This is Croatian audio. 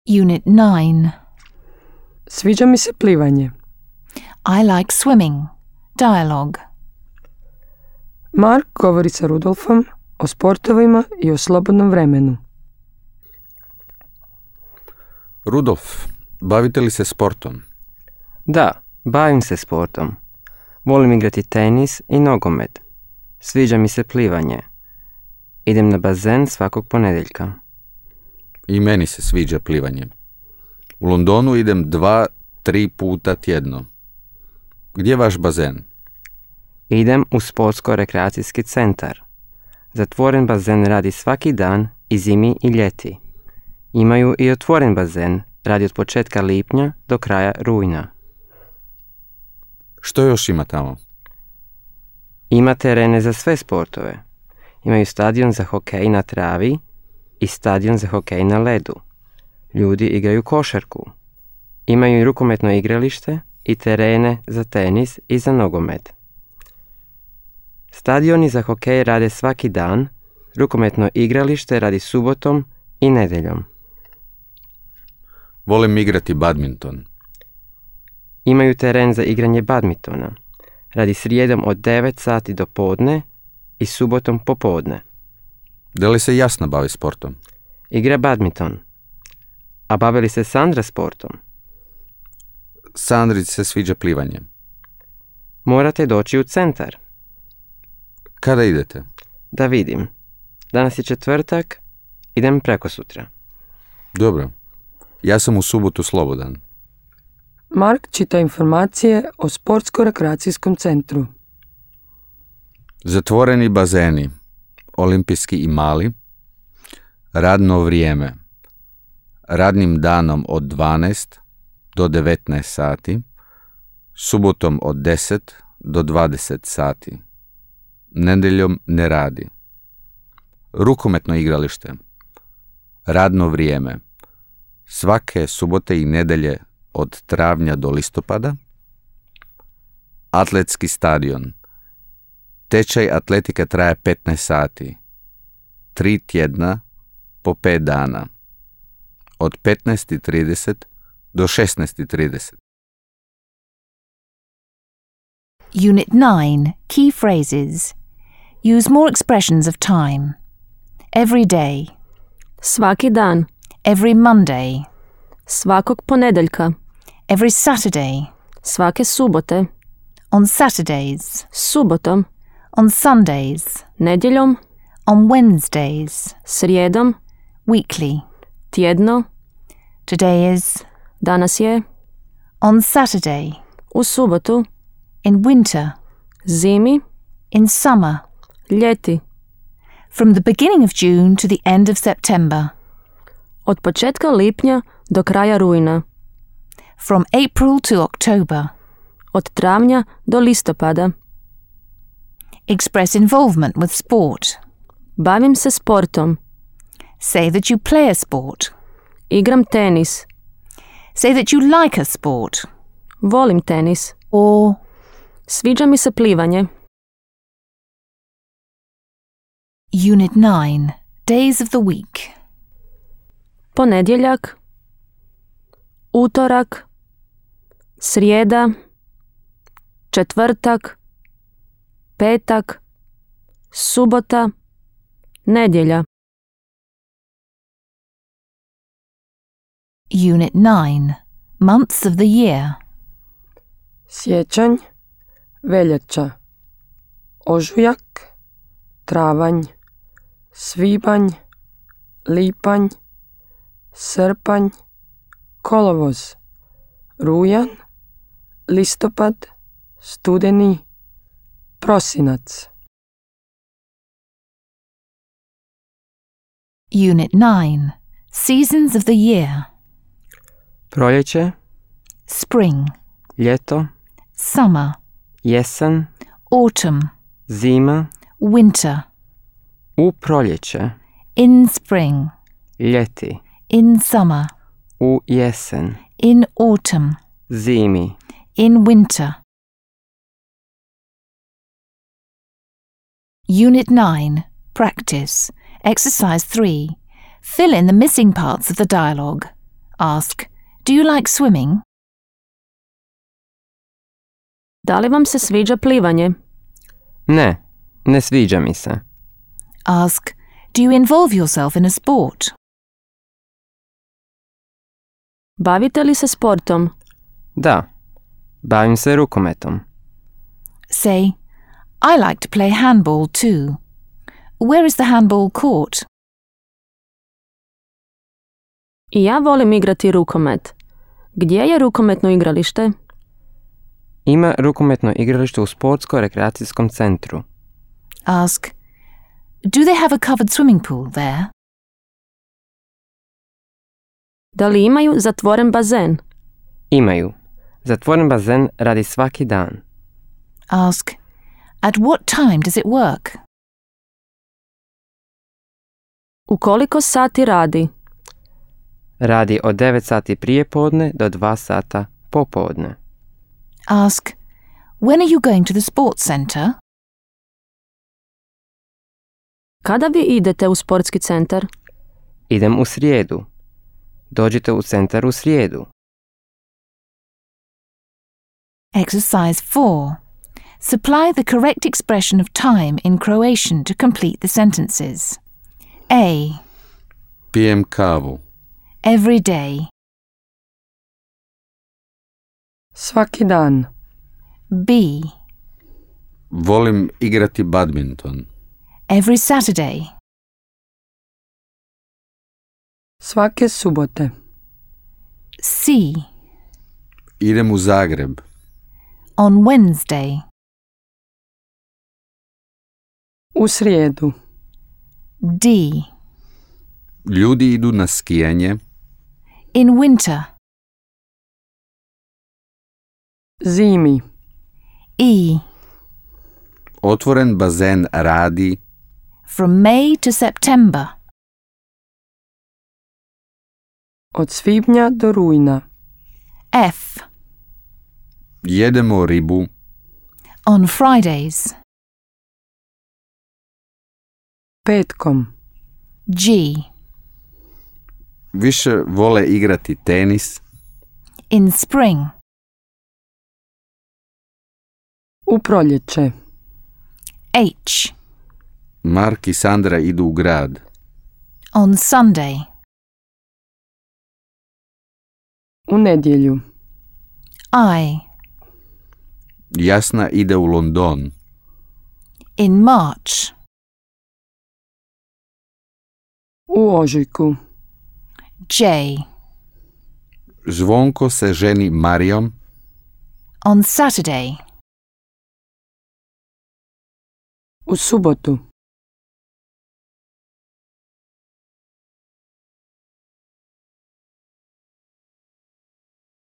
Unit 9. Sviđa mi se plivanje. I like swimming. Dialogue. Mark govori sa Rudolfom o sportovima i o slobodnom vremenu. Rudolf, bavite li se sportom? Da, bavim se sportom. Volim igrati tenis i nogomet. Sviđa mi se plivanje. Idem na bazen svakog ponedjeljka. I meni se sviđa plivanje. U Londonu idem 2-3 puta tjedno. Gdje je vaš bazen? Idem u sportsko-rekreacijski centar. Zatvoren bazen radi svaki dan i zimi i ljeti. Imaju i otvoren bazen, radi od početka lipnja do kraja rujna. Što još ima tamo? Ima terene za sve sportove. Imaju stadion za hokej na travi i stadion za hokej na ledu. Ljudi igraju košarku. Imaju i rukometno igralište i terene za tenis i za nogomet. Stadioni za hokej rade svaki dan, rukometno igralište radi subotom i nedjeljom. Volim igrati badminton. Imaju teren za igranje badmintona. Radi srijedom od 9 sati do podne i subotom popodne. Da li se Jasna bavi sportom? Igra badminton. A bavi li se Sandra sportom? Sandri se sviđa plivanje. Morate doći u centar. Kada idete? Da vidim. Danas je četvrtak, idem prekosutra. Dobro. Ja sam u subotu slobodan. Mark čita informacije o sportsko-rekreacijskom centru. Zatvoreni bazeni, olimpijski i mali, radno vrijeme, radnim danom od 12 do 19 sati, subotom od 10 do 20 sati, nedjeljom ne radi. Rukometno igralište, radno vrijeme, svake subote i nedjelje od travnja do listopada, atletski stadion, tečaj atletike traje 15 sati, 3 tjedna po 5 dana, od 15:30 do 16:30. Unit 9. Key phrases. Use more expressions of time. Every day. Svaki dan. Every Monday. Svakog ponedjeljka. Every Saturday. Svake subote. On Saturdays. Subotom. On Sundays. Nedjeljom. On Wednesdays. Srijedom. Weekly. Tjedno. Today is. Danas je. On Saturday. U subotu. In winter. Zimi. In summer. Ljeti. From the beginning of June to the end of September. Od početka lipnja do kraja rujna. From April to October. Od travnja do listopada. Express involvement with sport. Bavim se sportom. Say that you play a sport. Igram tenis. Say that you like a sport. Volim tenis. Or Sviđa mi se plivanje. Unit 9. Days of the week. Ponedjeljak. Utorak. Srijeda. Četvrtak. Petak. Subota. Nedjelja. Unit 9. Months of the year. Siječanj, veljača, ožujak, travanj, svibanj, lipanj, srpanj, kolovoz, rujan, listopad, studeni, prosinac. Unit 9. Seasons of the year. Proljeće, Spring. ljeto, Summer. jesen, Autumn. zima, Winter. u proljeće, In spring. ljeti, In summer. u jesen, In autumn. zimi. In winter. Unit 9. Practice. Exercise 3. Fill in the missing parts of the dialogue. Ask, do you like swimming? Da li vam se sviđa plivanje? Ne, ne sviđa mi se. Ask, do you involve yourself in a sport? Bavite li se sportom? Da, bavim se rukometom. Say, I like to play handball too. Where is the handball court? I ja volim igrati rukomet. Gdje je rukometno igralište? Ima rukometno igralište u sportsko-rekreacijskom centru. Ask, do they have a covered swimming pool there? Da li imaju zatvoren bazen? Imaju. Zatvoren bazen radi svaki dan. Ask, at what time does it work? U koliko sati radi? Radi od 9 sati prije podne do 2 sata popodne. Ask, when are you going to the sports center? Kada vi idete u sportski centar? Idem u srijedu. Dođite u centar u srijedu. Exercise 4. Supply the correct expression of time in Croatian to complete the sentences. A. Pijem kavu. Every day. Svaki dan. B. Volim igrati badminton. Every Saturday. Svake subote. C. Idem u Zagreb. On Wednesday. U srijedu. D. Ljudi idu na skijanje. In winter. Zimi. E. Otvoren bazen radi. From May to September. Od svibnja do rujna. F. Jedemo ribu. On Fridays. Petkom. G. Više vole igrati tenis. In spring. U proljeće. H. Mark i Sandra idu u grad. On Sunday. U nedjelju. I. Jasna ide u London. In March. U ožujku. J. Zvonko se ženi Marijom. On Saturday. U subotu.